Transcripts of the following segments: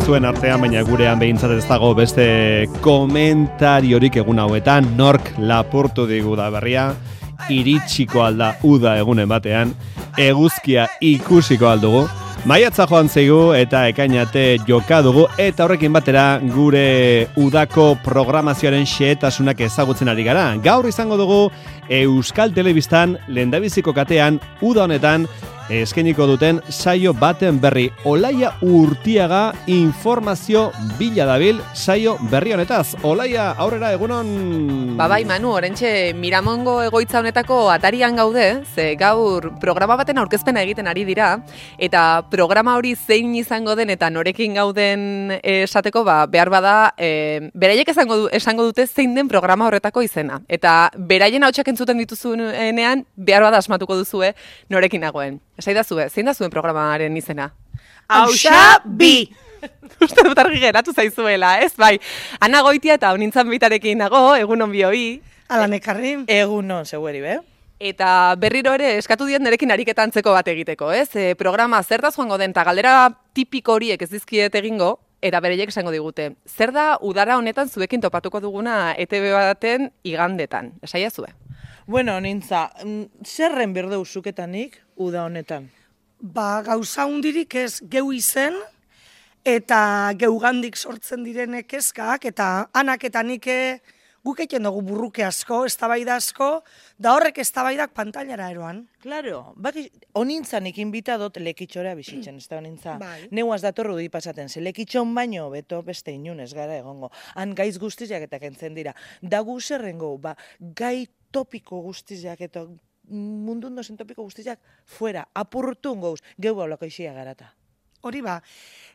zuen artean, baina gurean behintzat ez dago beste komentariorik egun hauetan, nork lapurtu digu da berria, iritsiko alda uda egunen batean, eguzkia ikusiko aldugu, maiatza joan zeigu eta ekainate joka dugu eta horrekin batera gure udako programazioaren xehetasunak ezagutzen ari gara. Gaur izango dugu Euskal Telebistan lehendabiziko katean uda honetan eskainiko duten saio baten berri. Olaia Urtiaga informazio bila dabil saio berri honetaz. Olaia, aurrera egunon. Bai, Manu, orentxe Miramongo egoitza honetako atarian gaude, ze gaur programa baten aurkezpena egiten ari dira, eta programa hori zein izango den eta norekin gauden esateko, behar bada, beraiek esango dute zein den programa horretako izena. Eta beraien hautsak entzuten dituzuenean, behar bada asmatuko duzue norekin nagoen. Esai da zue, zein da zuen programaren izena? Hauxa bi! Uste dut argi geratu zaizuela, ez? Bai, Ana Goitia eta honintzan bitarekin nago, egunon bioi. Alan ekarri. Egunon, zeueri, be? Eta berriro ere eskatu diet nerekin ariketa antzeko bat egiteko, ez? Programa zertaz joango den, eta galdera tipiko horiek ez dizkiet egingo, eta bereiek esango digute. Zer da udara honetan zuekin topatuko duguna ETV baten igandetan? Esaia zue? Bueno, nintza, zerren berdeu zuketanik uda honetan? Gauza hundirik ez geu izen, eta geugandik sortzen direnek kezkak, eta anak eta nike guk egiten dugu burruke asko, eztabaida asko, da horrek eztabaidak pantailara eroan. Claro, honintzanik inbitadot lekitxora bizitzen, ez da honintza. Bai. Neuaz datorru di pasaten, ze lekitxon baino, beto beste inunez gara egongo. Han gaiz guztiak eta kentzen dira. Da gu zerrengo, gai topiko guztiak eta mundun dozen topiko guztiak fuera, apurtu goz, geu baulako isia garata. Hori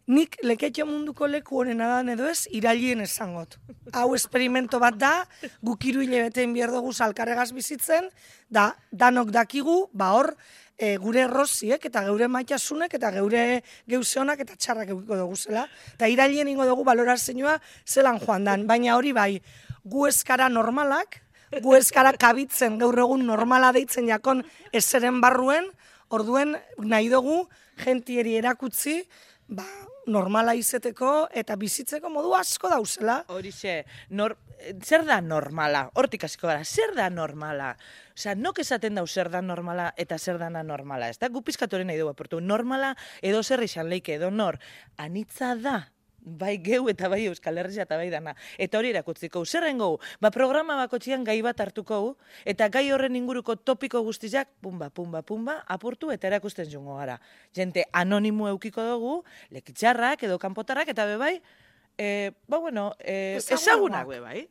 nik leketxo munduko leku honena da edo ez, irailien esangot. Hau esperimento bat da, guk 3 hilabeteen behar dugu alkarregaz bizitzen, da danok dakigu, hor, gure erroziek eta geure maitasunek eta geure geuzeonak eta txarrak eukiko dugu zela. Eta irailien ingo dugu balorazioa zelan joan dan, baina hori gu eskara normalak, gu eskara kabitzen gaur egun normala deitzen jakon ezeren barruen, orduen nahi dugu jentieri erakutzi, normala izeteko eta bizitzeko modu asko dauzela. Horixe, zer da normala? Hortik hasiko gara, zer da normala? Osea, nok esaten dau zer da normala eta zer dana normala. Ez da, gu pizkatoren nahi dugu aportu. Normala edo zer izan leike, edo nor. Anitza da. Bai geu eta bai Euskal Herria eta bai dana. Eta hori erakutziko, zerrengo, programa bakotxian gai bat hartuko, eta gai horren inguruko topiko guztiak, pumba, apurtu eta erakusten jungo gara. Jente anonimo eukiko dugu, lekitxarrak edo kanpotarrak, eta bebai, ezagunak bebai.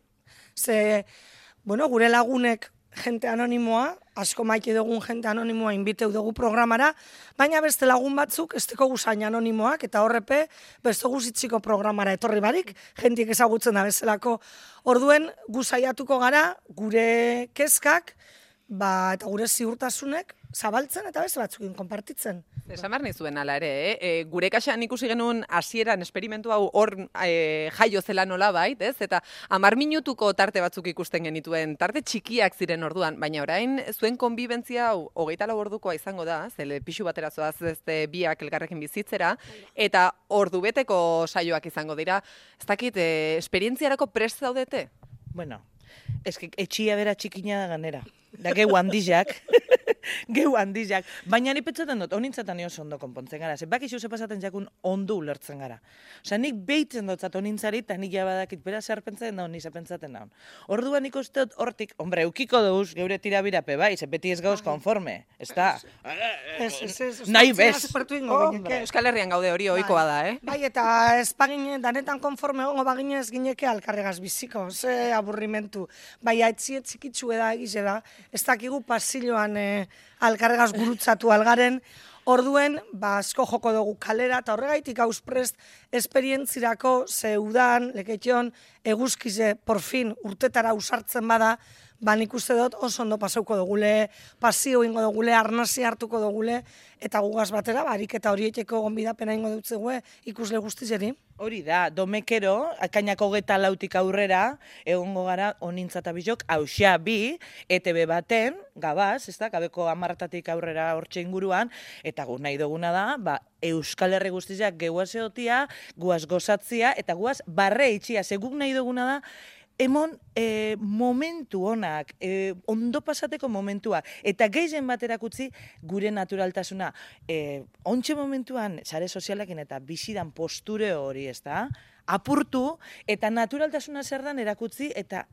Ze, gure lagunek jente anonimoa, asko maite dugun jente anonimoa inbiteu dugu programara, baina beste lagun batzuk ez teko guzain anonimoak, eta horrepe beste guzitziko programara etorri barik, jentik ezagutzen da bezalako. Orduen guzaiatuko gara, gure kezkak, eta gure ziurtasunek zabaltzen eta beste batzukin konpartitzen. Esan behar nizuen ala ere, gure kaxean ikusi genuen hasieran esperimentu hau hor jaio zela nola bait, ez? Eta 10 minutuko tarte batzuk ikusten genituen, tarte txikiak ziren orduan, baina orain zuen konbibentzia hau 24 ordukoa izango da, zele pixu batera zoaz biak elkarrekin bizitzera, eta ordubeteko saioak izango dira. Ez dakit, esperientziarako prest zaudete? Bueno, etxia bera txikina da ganera. Da geu handizak, baina ni petzaten dut, honintzatan oso ondo konpontzen gara, ze bakizu ze pasaten jakun ondo ulertzen gara. Osa, nik behitzen dutzat honintzari, eta nik jabadakit bera zer pentsaten daun, nize pentsaten daun. Orduan nik uste dut hortik, hombre, eukiko dauz, geure tirabirape bai, ze beti ez gauz konforme, ez da? Nahi bez. Euskal Herrian gaude hori ohikoa da, Bai, eta ez bagine, danetan konforme gongo bagine ez gineke alkarregaz biziko, ze aburrimentu. Bai, aitziet txikitzu eda egize da, ez dakigu pasilloan alkarregaz gurutzatu algaren, orduen, asko joko dugu kalera, eta horregaitik hausprest esperientzirako ze udan, leketxon, eguzkize, porfin, urtetara usartzen bada, nik uste dut oso ondo pasauko dugule, pasio ingo dugule, arnasi hartuko dugule, eta gugaz batera, ariketa horieteko gonbidapena ingo dutzegue ikusle guztizeri. Hori da, domekero, akainako 24 aurrera, egongo gara honintza eta bizok, hauxa bi, ETV baten, gabaz, ez da, gabeko 10 aurrera hortxe inguruan, eta gu nahi duguna da, Euskal Herri guztiak guaz eotia, guaz gozatzia, eta guaz barre itxia, seguk nahi duguna da, emon momentu honak, ondo pasateko momentua, eta gehien bat erakutzi gure naturaltasuna. Ontxe momentuan, sare sozialakin eta bizidan posture hori, ez da? Apurtu, eta naturaltasuna zer dan erakutzi, eta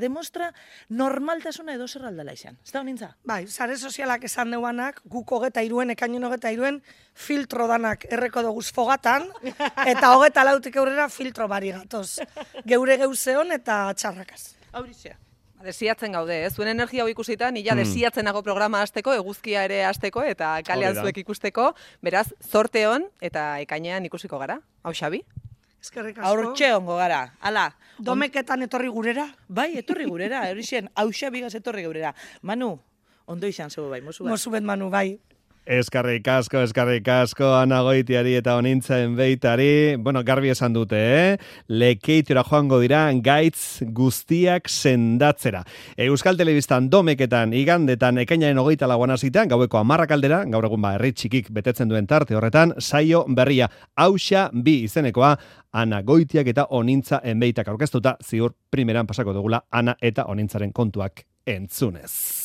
demostra normaltasuna edo zer aldala izan. Ez da honintza? Bai, sare sozialak esan deuanak, guk 23, ekainen 23, filtro danak erreko doguz fogatan, eta 24 aurrera filtro bari gatoz. Geure geuzeon eta txarrakaz. Haurizia. Desiatzen gaude, zuen energia hau ikusita, nila desiatzenago programa hasteko, eguzkia ere hasteko, eta kalean zuek ikusteko, beraz, zorte hon, eta ekainean ikusiko gara. Hau, Xabi? Eskerrik asko. Aurtxe hongo gara, ala. Domeketan etorri gurera? Bai, etorri gurera, horixen, hauxa bigaz etorri gurera. Manu, ondo izan zeu bai, mozu bat. Mozu bet, Manu, bai. Eskarrik asko, Ana Goitiari eta Onintzen Beitari. Bueno, garbi esan dute, Lekeitora joango dira gaitz guztiak sendatzera. Euskal Telebistan domeketan, igandetan, ekainaren 24 hasita, gaueko 10 aldera, gaur egun herri txikik betetzen duen tarte horretan, saio berria, hauxa bi izenekoa, Ana Goitiak eta Onintza Enbeitak aurkeztuta, ziur primeran pasako dugula Ana eta Onintzaren kontuak entzunez.